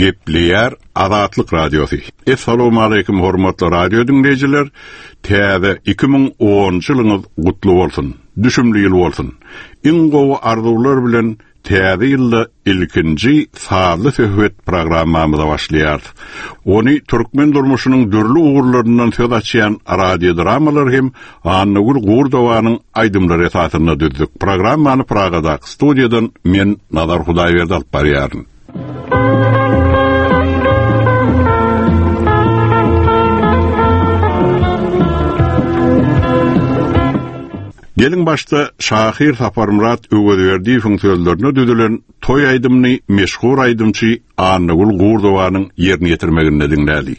Gepleýär Azatlyk Radiosy. Essalawmaleýkim hormatly radio diňleýjiler! Täze 2010-njy ýylyňyz gutly bolsun! Düşümli ýyl bolsun! Iň gowy arzuwlar bilen Täze ýylda ilkinji sazly söhbet programmamyza başlaýarys. Ony türkmen durmuşynyň dürli ugurlaryndan söz açýan radiodramalar hem Annagül Gurdowanyň aýdymlary esasynda düzdük. Programmany Pragadaky studiýadan men Nazar Hudaýberdi alyp barýaryn. Geliň başda şahyr Saparmyrat Öwezberdiýewiň sözlerine düzülen toý aýdymyny meşhur aýdymçy Annagül Gurdowanyň ýerine ýetirmeginde diňläli.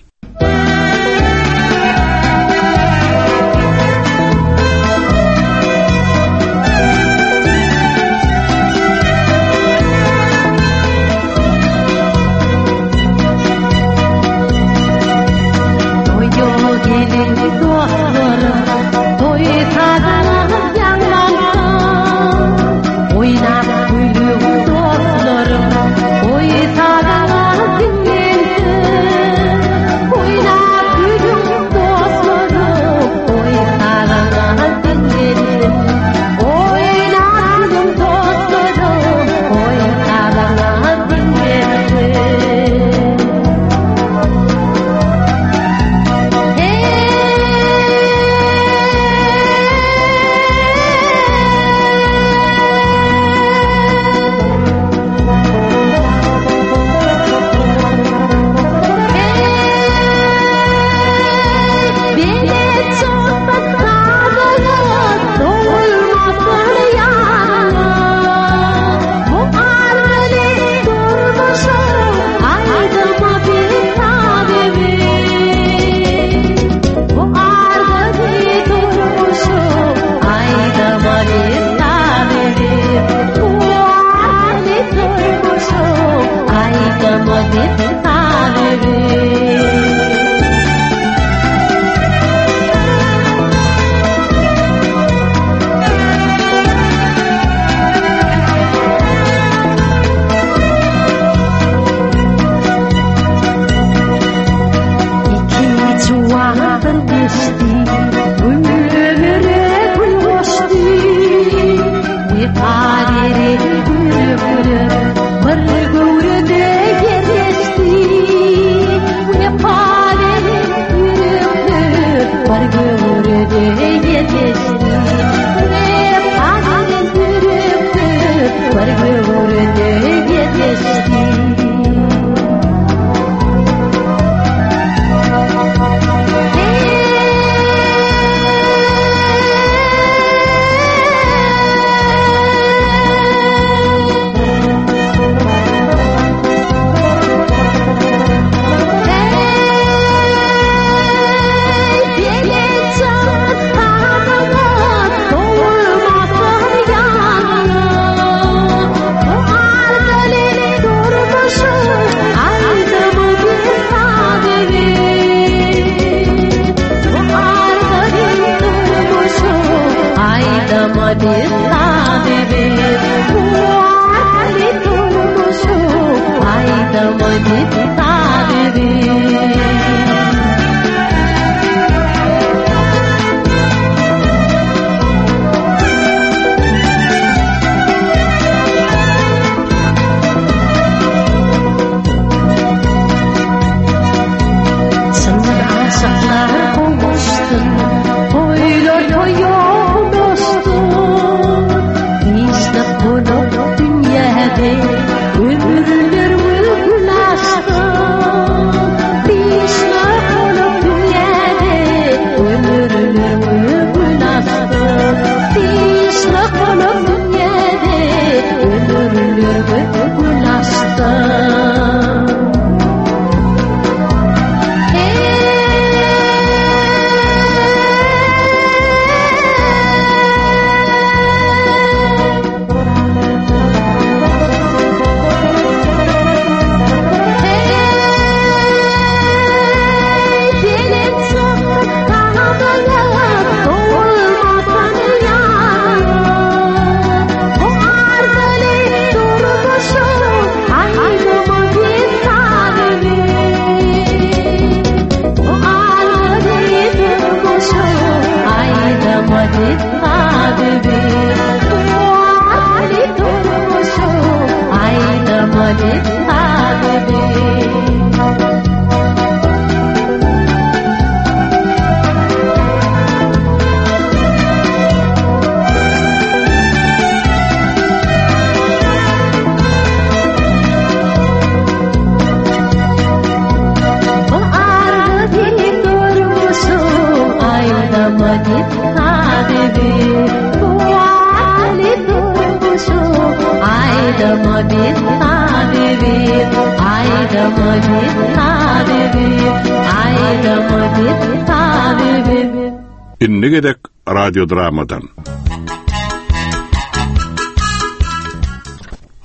Indi gezek radiodramadan.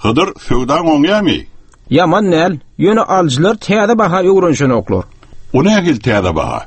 Hydyr, söwdaň oňýamy? Ýaman däl, ýöne alyjylar täze baha öwrenişenoklar. O nähili täze baha?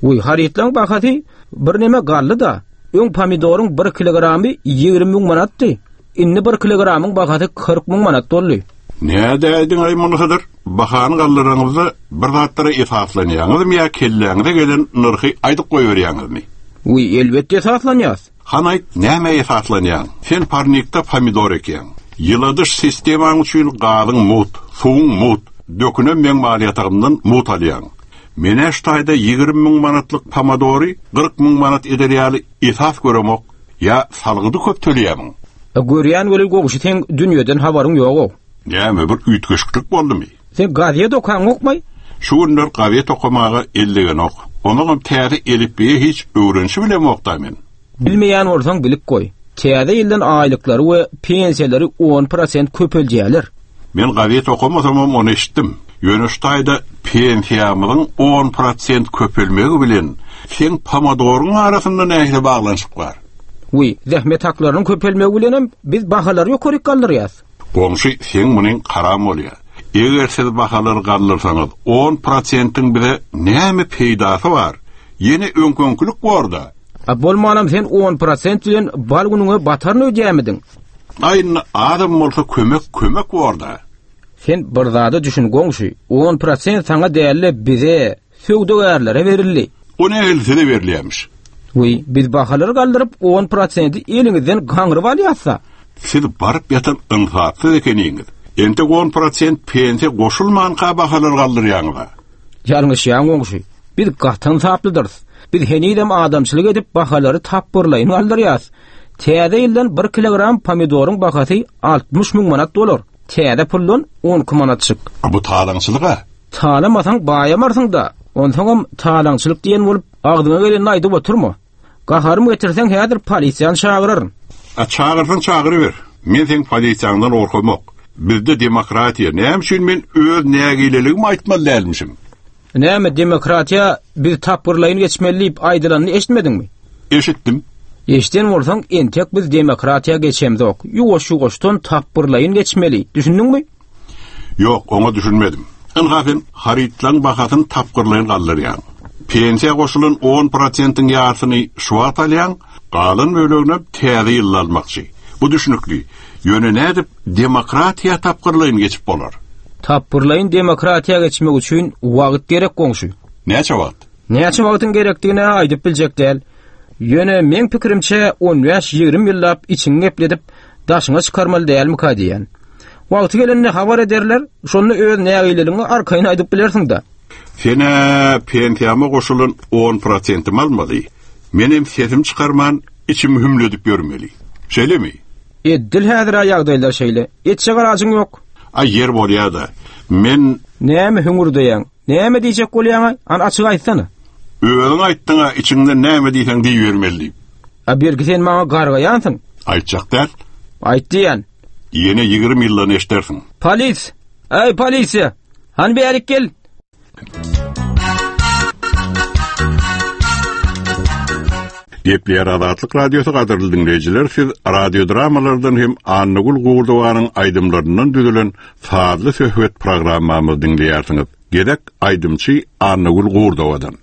Wiý, harytlaň bahasy birneme galdy-da. Öň pomidoryň bir kilogramy 20 müň manatdy. Indi bir kilogramyň bahasy 40 müň manat boldy. Nädäýdiň-aý muny Hydyr? Bahany galdyraňyzda bir zatlara esaslanýaňyzmy ýa kelläňize gelen nyrhy aýdyp goýberýäňizmi? Wiý, elbetde esaslanýas. Hany aýt, nämä esaslanýaň? Sen parnikde pomidor ekýäň. Ýyladyş sistemaň üçin gazyň mugt, suwuň mugt, dökünem meň mal ýatagymdan mugt alýaň. Men-ä şu taýda 20 müň manatlyk pomadory 40 müň manat eder ýaly esas göremok. Ýa salgydy köp töleýämiň? A görýän weli goňşy seň dünýeden habaryň ýog-ow. Näme, bir üýtgeşiklik boldumy? Sen gazet okaňokmaý? Şu günler gazet okamaga el degenok. Onuňam täze elipbiýe hiç öwrenişibilemok-da men. Bilmeýän bolsaň bilip goý. Täze ýyldan aýlyklary we pensiýalary on prosent köpeldýärler. Men gazet okamasamam ony eşitdim. Ýöne şu taýda pensiýamyzyň on prosent köpelmegi bilen seň pomadoryň arasynda nähili baglanyşyk bar? Wiý, zähmet haklarynyň köpelmegi bilenem biz bahalary ýokaryk galdyrýas. Goňşy, seň munyň karam bolýa. Eger siz bahalary galdyrsaňyz, on prosentiň bize näme peýdasy bar? Ýene öňki-öňkülik bor-da. A bolmanam sen on prosent bilen bal günüňe bataryn öýdýämidiň? Aý indi azam bolsa kömek kömek bor-da. Sen bir zada düşün goňşy, on prosent saňa däl-de bize, söwdagärlere berildi. O nähili size berilýämiş? Wiý, biz bahalary galdyryp on prosenti eliňizden gaňryp alýas-da. Siz baryp ýatan ynsapsyz ekeniňiz. Entek on prosent pensiýa goşulmanka bahalary galdyrýaňyz-a. Ýalňyşýaň goňşy. Biz gaty ynsaplydyrys. Biz henizem adamçylyk edip bahalary tapgyrlaýyn galdyrýas. Täze ýyldan bir kilogram pomidoryň bahasy 60 müň manat bolar. Täze puldan 12 manatjyk. A bu talaňçylyk-a. Talamasaň baýamarsyň-da. Onsoňam talaňçylyk diýen bolup agzyňa gelenini aýdyp oturma. Gaharym getirseň häzir polisiýany çagyraryn. A çagyrsaň çagyryber. Men seň polisiýaňdan gorkamok. Bizde demokratiýa, näme üçin men öz nägileligimi aýtmaly dälmişim? Näme demokratiýa biz tapgyrlaýyn geçmeli diýip aýdylanyny eşitmediňmi? Eşitdim. Eşiden bolsaň entek biz demokratiýa geçemzok. Ýuwaş-ýuwaşdan tapgyrlaýyn geçmeli. Düşündiňmi? Ýok, oňa düşünmedim. Ynha sen harytlaryň bahasyny tapgyrlaýyn galdyrýaň. Pensiýa goşulan on prosentiň ýarsyny şu wagt alýaň, galan böleginem täze ýylda almakçy. Bu düşnükli. Ýöne nädip demokratiýa tapgyrlaýyn geçip bolar? Tapgyrlaýyn demokratiýa geçmek üçin wagt gerek goňşy. Näçe wagt? Näçe wagtyň gerekdigini-ä aýdyp biljek däl. Ýöne meň pikirimçe on bäş-ýigrimi ýyllap içiňi gepledip, daşyňa çykarmaly dälmika diýýän. Wagty gelende habar ederler, şonda öz nägileligiňi arkaýyn aýdyp bilersiň-dä. Sen-ä pensiýama goşulan on prosentimi almaly, menem sesimi çykarman içimi hümledip ýörmeli. Şeýlemi? Eddil häzir-ä ýagdaýlar şeýle. Etjek alajyň ýok. Aý, ýer bolýa-da. Men. Näme hüňürdeýäň? Näme diýjek bolýaň-aý? Hany açyk aýtsana. Özüň aýtdyň-a, içiňden näme diýseň diýibermeli diýip. A belki sen maňa gargaýansyň? Aýtjak däl. Aýt diýýän. Ýene 20 ýyldan eşdersiň. Polis! Eý, polisiýa! Hany bärik gel! Gepleýär Azatlyk Radiosy gadyrly diňleýjiler siz radiodramalardan hem Annagül Gurdowanyň aýdymlaryndan düzülen sazly söhbet programmamyzy diňleýärsiňiz. Gezek aýdymçy Annagül Gurdowadan.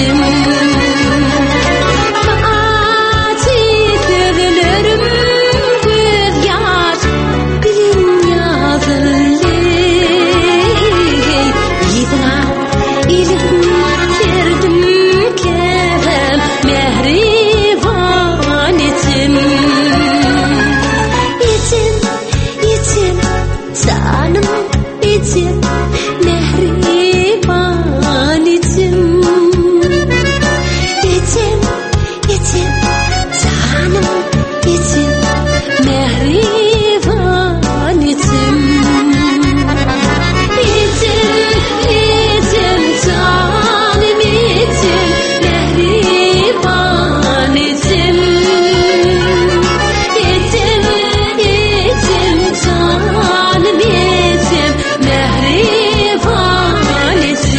Ejem Ajy sözlerim göz ýaş bilen ýazyldy Ýygyna elip serdim käbäm mähriban ejem Ejem, ejem, janym ejem Mähriban ejem Ejem, ejem, janym ejem Mähriban ejem Ejem, ejem, janym ejem Mähriban ejem Ejem, ejem, janym ejem Mähriban ejem.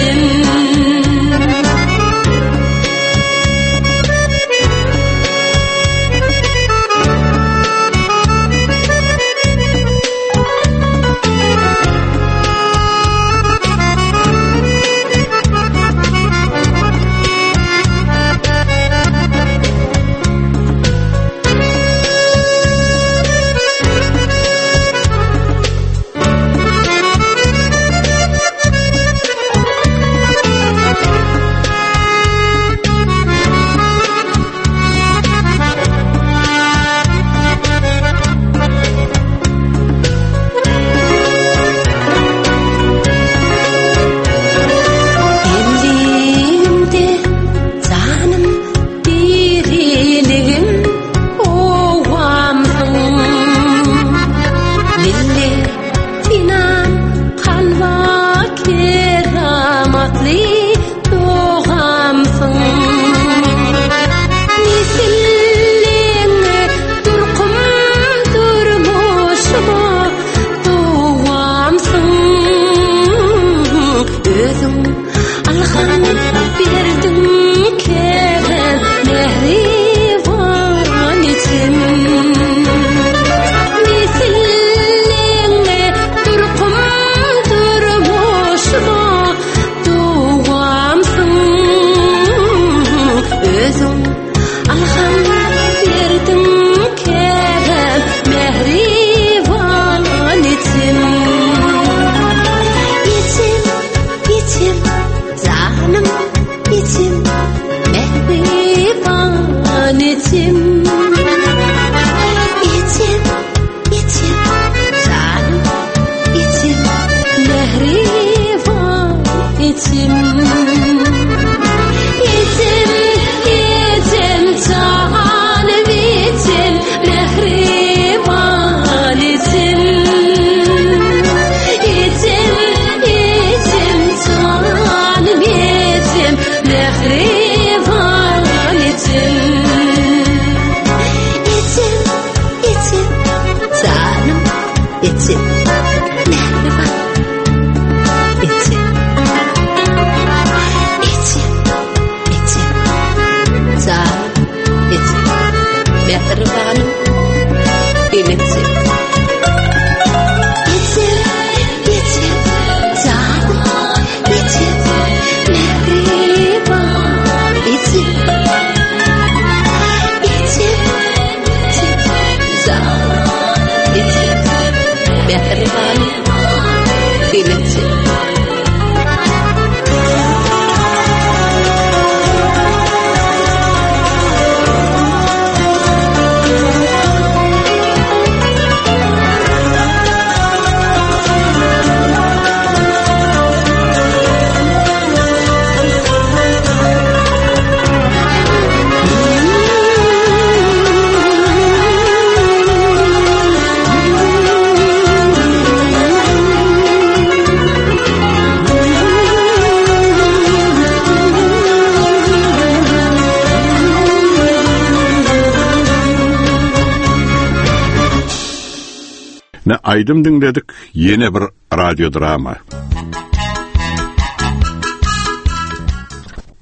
Demligimde janym diriligim owamsyň. Milli synam kalba keramatly dogamsyň. Nesilleňe durkum durmuşyma dowamsyň. Özüň Alham berdiň kerem mähriban ejem. Nesilleňe durkum durmuşyma dowamsyň. Özüň Alham berdiň kerem mähriban ejem. Ejem, ejem, janym ejem, mähriban ejem. Ejem, ejem, janym ejem, mähriban ejem. Ejem, ejem, janym ejem, mähriban ejem. Ejem, ejem, janym ejem, mähriban ejem. Ejem, ejem, janym ejem, mähriban ejem. Ejem, ejem, janym ejem, mähribanym enejem. Ejem, ejem, janym ejem, mähriban ejem. Ejem, ejem, janym ejem, mähribanym enejem. Ne aýdym diňledik, ýene bir radiodrama.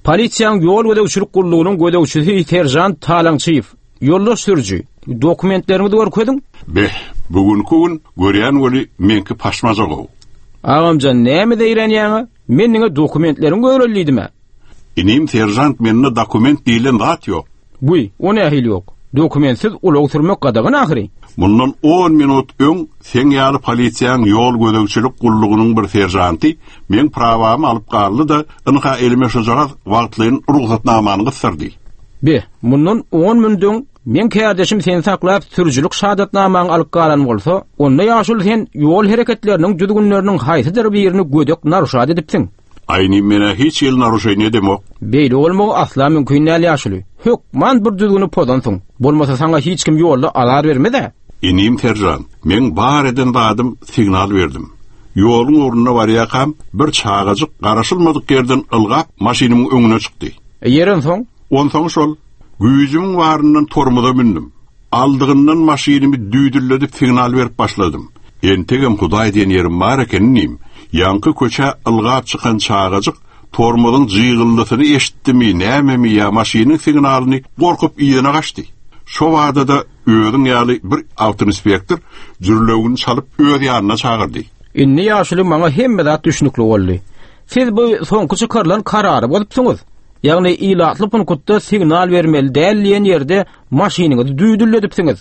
Polisiýanyň ýol gözegçilik gullugynyň gözegçisi seržant Talaňçyýew. Ýoldaş sürüji, dokumentleriňizi görkeziň. Beh, bu günki gün görýän weli meňki paşmaja-ow. Agamjan, näme zeýrenýäň-a? Men diňe dokumentleriňi göreli diýdim-ä. Inim seržant mende dokument diýlen zat ýok. Wiý, o nähili ýok? Dokumentsiz ulag sürmek gadagan ahyry. Mundan on minut öň seň ýaly polisiýaň ýol gözegçilik gullugynyň bir seržanty meň prawamy alyp galdy-da, ynha elime şujagaz wagtlaýyn rugsatnamany gysdyrdy. Be, mundan on minut öň meň kärdeşim seni saklap sürüjilik şahadatnamaňy alyp galan bolsa, onda ýaşuly sen ýol hereketleriniň düzgünleriniň haýsydyr birini gödek naruşat edipsiň. Aýny menä hiç hili naruşeniýe edemok. Beýle bolmagy asla mümkin däl ýaşuly. Hökman bir düzgüni pozansyň. Bolmasa saňa hiç kim ýolda azar bermez-ä. Inim seržant, meň bar eden zadym signal berdim. Ýoluň ugrunda barýakam bir çagajyk garaşylmadyk ýerden ylgap maşynymyň öňüne çykdy. E ýeri onsoň? Onsoň şol. Güýjümiň baryndan tormoza mündüm. Aldygyndan maşynymy düýdülledip signal berip başladym. Entegem Hudaý diýen ýerim bar eken inim. Ýaňky köçä ylgap çykan çagajyk tormozyň jygyldysyny eşitdimi, nämemi ýa maşynyň signalyny gorkup yzyna gaçdy. Şo bada-da özüň ýaly bir awtoinspektor jürlewügini çalyp öz ýanyna çagyrdy. Indi ýaşuly maňa hemme zat düşnükli boldy. Siz bu soňky çykarylan karary bozupsyňyz. Ýagny ilatly punkutda signal bermeli däl diýen ýerde maşynyňyzy düýdülledipsiňiz.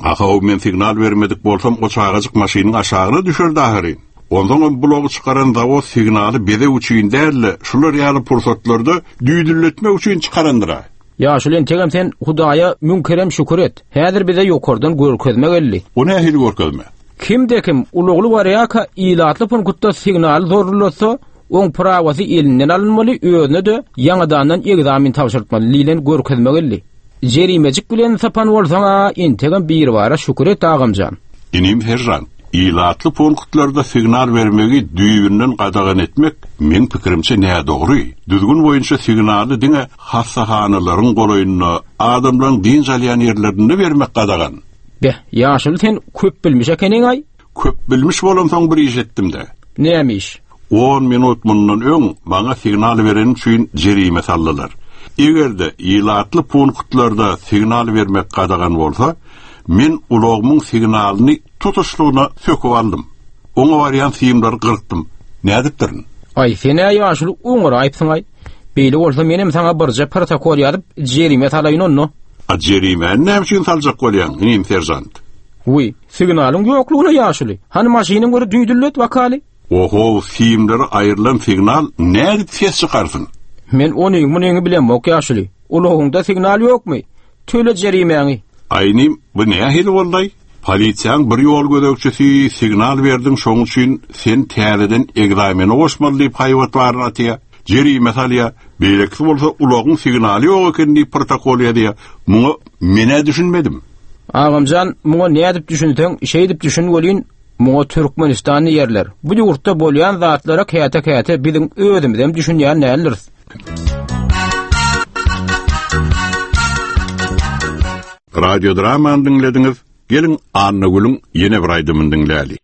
Ahow, men signal bermedik bolsam o çagajyk maşynyň aşagyna düşerdi ahyryn. Onsoňam bulagy çykaran zawod signaly bezeg üçin däl-de, şular ýaly pursatlarda düýdülletmek üçin çykarandyr-a. Ýaşuly entegem sen Hudaýa müň kerem şükür et. Häzir bize ýokardan görkezme geldi. O nähili görkezme? Kimde-kim ulagly barýarka ilatly punkutda signaly zorlulatsa, Oň prawasy elinden alynmaly, özüne-de ýaňadandan egzamin tabşyrtmaly diýlen görkezme geldi. Jerimejik bilen sypan bolsaň-a, entegem biribara şükür et, agamjan. Inim seržant, ilatly punktlarda signal bermegi düýbünden gadagan etmek, meň pikirimçe, nädogry. Düzgün boýunça signaly diňe hassahanalaryň golaýynda, adamlaryň dynç alýan ýerlerinde bermek gadagan. Beh, ýaşuly sen köpbilmiş ekeniň-aý. Köpbilmiş bolamsoň bir iş etdim-dä. Näme iş? On minut mundan öň maňa signal bereni üçin jerime saldylar. Eger-de ilatly punktlarda signal bermek gadagan bolsa, men ulagymyň signalyny tutuşlygyna söküp aldym. Oňa barýan simleri gyrkdym. Nädipdirin? Aý, sen-ä ýaşuly oňaraýypsyň-aý. Beýle bolsa menem saňa birje protokol ýazyp, jerime salaýyn onda. A jerimäni näme üçin saljak bolýaň, inim seržant? Wiý, signalyň ýoklugyna ýaşuly. Hany maşynyň bir düýdüllet wakaly. Ohow, simleri aýrylan signal nädip ses çykarsyn? Men onyň-munyňy bilemok ýaşuly. Ulagyňda signal ýokmy? Töle jerimäňi. Aýnym, bu nähili boldaý? Polisiýaň bir ýol gözegçisi signal berdiň şoň üçin sen täzeden egzamene goşmaly diýip haýbat baryny atýa, jerime salýa, beýlekisi bolsa ulagyň signaly ýok eken diýip protokol ýazýa. Muňa men-ä düşünmedim. Agamjan, muňa nädip düşünseň, şeýdip düşün welin, muňa Türkmenistan diýerler. Bu ýurtda bolýan zatlara käte-käte biziň özümizem düşünýän däldiris. Radio dramany diňlediňiz. Geliň Annagülüň ýene bir aýdymyny diňläli.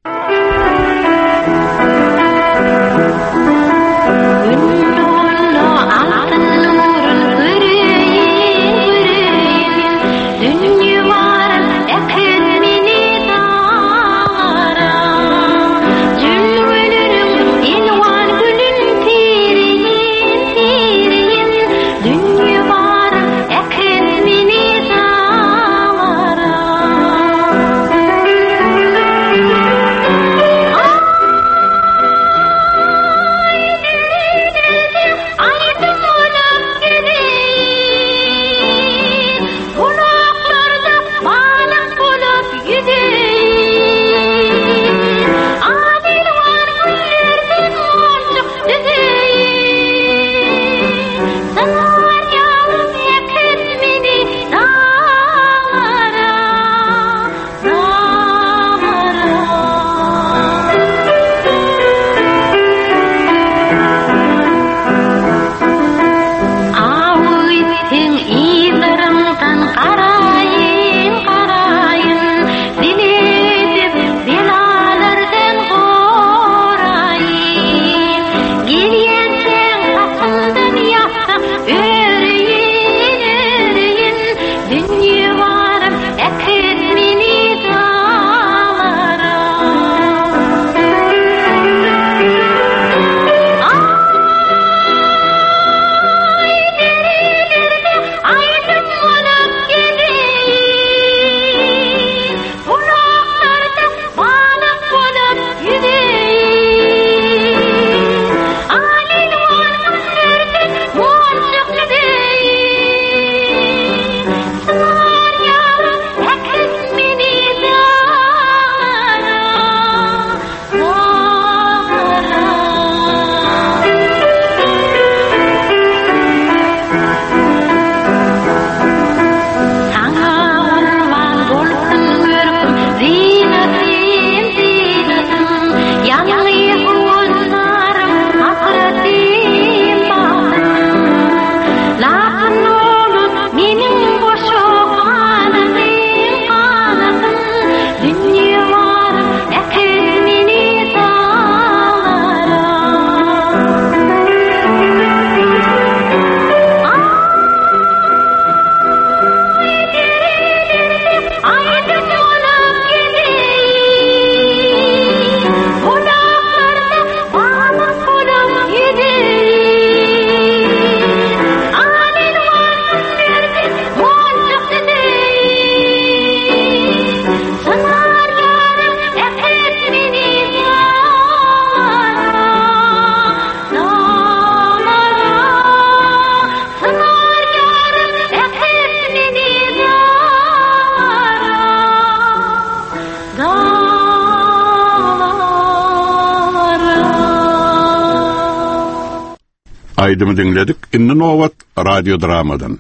Aýdymy diňledik, indi nobat radiodramadan.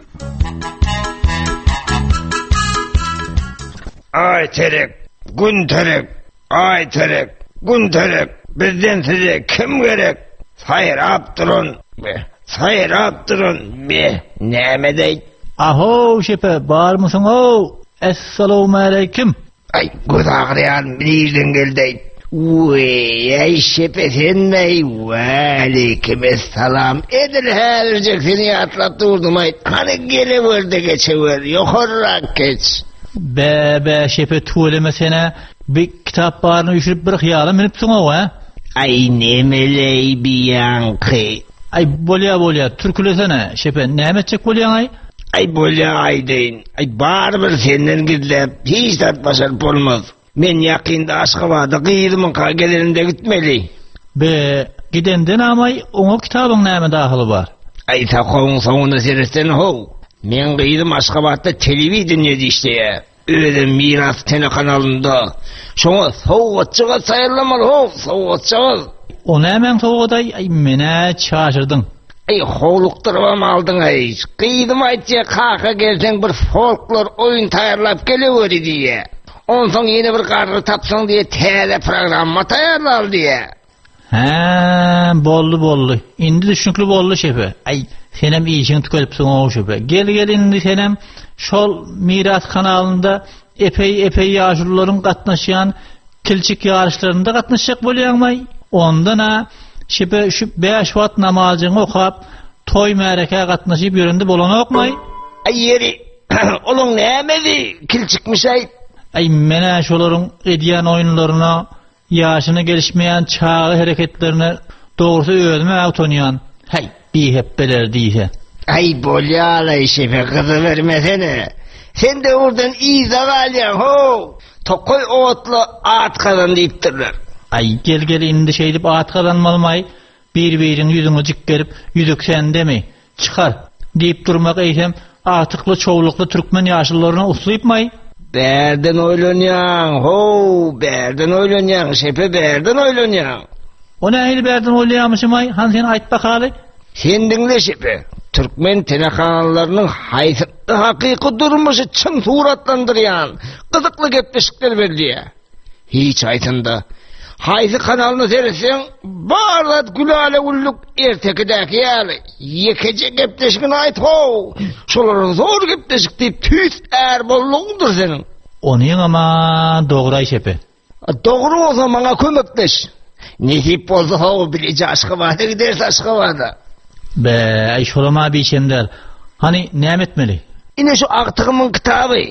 Aý terek, gün terek, aý terek, gün terek, bizden size kim gerek? Saýrap duran, be, saýrap duran, be, näme deý? Ahow şepe, barmysyň-ow? Essalawmaleýkim. Aý, göz agyrýar, nirden geldi-aý? Weý, şepe senmi-aý? Waleýkim essalam. Edil häzirjek seni ýatlap durdum-aý. Hany gelewer-de geçewer, ýokarrak geç. Bä, bä, şepe tüweleme sen-ä bi kitap baryny üýşürip bir hyýala münüpsiň-ow, hä? Aý, nemeleý bi ýaňky? Aý, bolýa, bolýa, türkülesene, şepe, näme etjek bolýaň-aý? Aý, bolýa, aýdaýyn. Aý, barybir senden gizläp hiç zat başaryp bolmaz. Men ýakynda Aşgabada gyzymyňka gelenimde gitmeli. Be, gidende namaý, oňa kitabyň näme dahyly bar? Aý, sakawyň soňuna seretsene how. Meň gyzym Aşgabatda telewideniýede işleýär. Özem Miras telekanalynda. Şoňa sowgatjagaz taýýarlamaly how, sowgatjagaz. O nämäň sowgadaý, aý, men-ä çaşyrdyň. Aý, howlukdyrybam aldyň-aý. Gyzym aýtýa, kaka gelseň bir folklor oýun taýýarlap geleweri diýýä. Onsoň ýene bir garry tapsaň diýýä, täze programma taýýarlaly diýýä. Hä, boldy, boldy. Indi düşnükli boldy şefe. Aý, senem işiňi tükedipsiň-ow şefe. Gel, gel indi senem şol Miras kanalynda epeý-epeý ýaşulularyň gatnaşýan Kilçik ýaryşlarynda gatnaşjak bolýaňmaý? Ondan-a şepe şu bäş wagt namazjyňy okap, toý-märekä gatnaşyp ýörende bolanokmaý? Aý ýeri, olaň nämesi kilçikmiş-aý? Aý, men-ä şolaryň edýän oýunlaryna, ýaşyna gelişmeýän çaga hereketlerine dogrusy özüm-ä utanýan. Häý, bihepbeler diýse. Aý, bolýa-laý şepe, gyzybermesene. Sen döwürden yzda galýaň, how! Tokaý otla at gazan diýipdirler. Aý, gel-gel indi şeýdip at gazanmalymaý, bir-biriň ýüzüňe jikgerip, ýüzük sendemi, çykar, diýip durmak eýsem agtykly-çowlukly türkmen ýaşulularyna uslypmaý? Bärden oýlanýaň, how, bärden oýlanýaň, şepe bärden oýlanýaň. O nähili bärden oýlaýamyşymaý, hany sen aýt bakaly? Sen diňle şepe, türkmen telekanallarynyň haýsy hakyky durmuşy çyn suratlandyrýan gyzykly gepleşikler berilýär. Hiç haýsynda. Haýsy kanalyna seretseň, bar zat gülala-güllük ertekidäki ýaly. Ýekeje gepleşigini aýt how, şolara zor gepleşik diýip tüýs är boldugyňdyr seniň. Onyňam-a dogry-aý şepe. Dogry bolsa maňa kömekleş. Nesip bolsa how bileje Aşgabada gideris Aşgabada. Be, aý şolam-a biçem däl. Hany näme etmeli? Ine şu agtygymyň kitaby.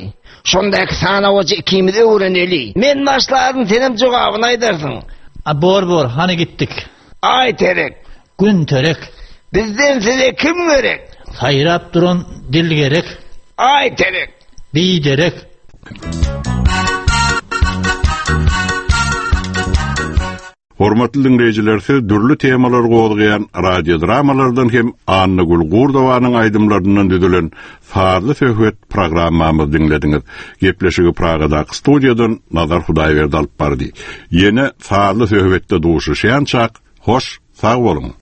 Şondaky sanawajy ikimiz öwreneli. Men başlaryn senem jogabyny aýdarsyň. A bor bor, hany gitdik. Aý terek. Gün terek. Bizden size kim gerek? Saýrap duran dil gerek. Aý terek. Biderek. Hormatly diňleýjiler, siz dürli temalary gozgaýan radiodramalardan hem Annagül Gurdowanyň aýdymlaryndan düzülen Sazly söhbet programmamyzy diňlediňiz. Gepleşigi Pragadaky studiýadan Nazar Hudaýberdi alyp bardy. Ýene Sazly söhbetde duşuşýançak, hoş sag boluň!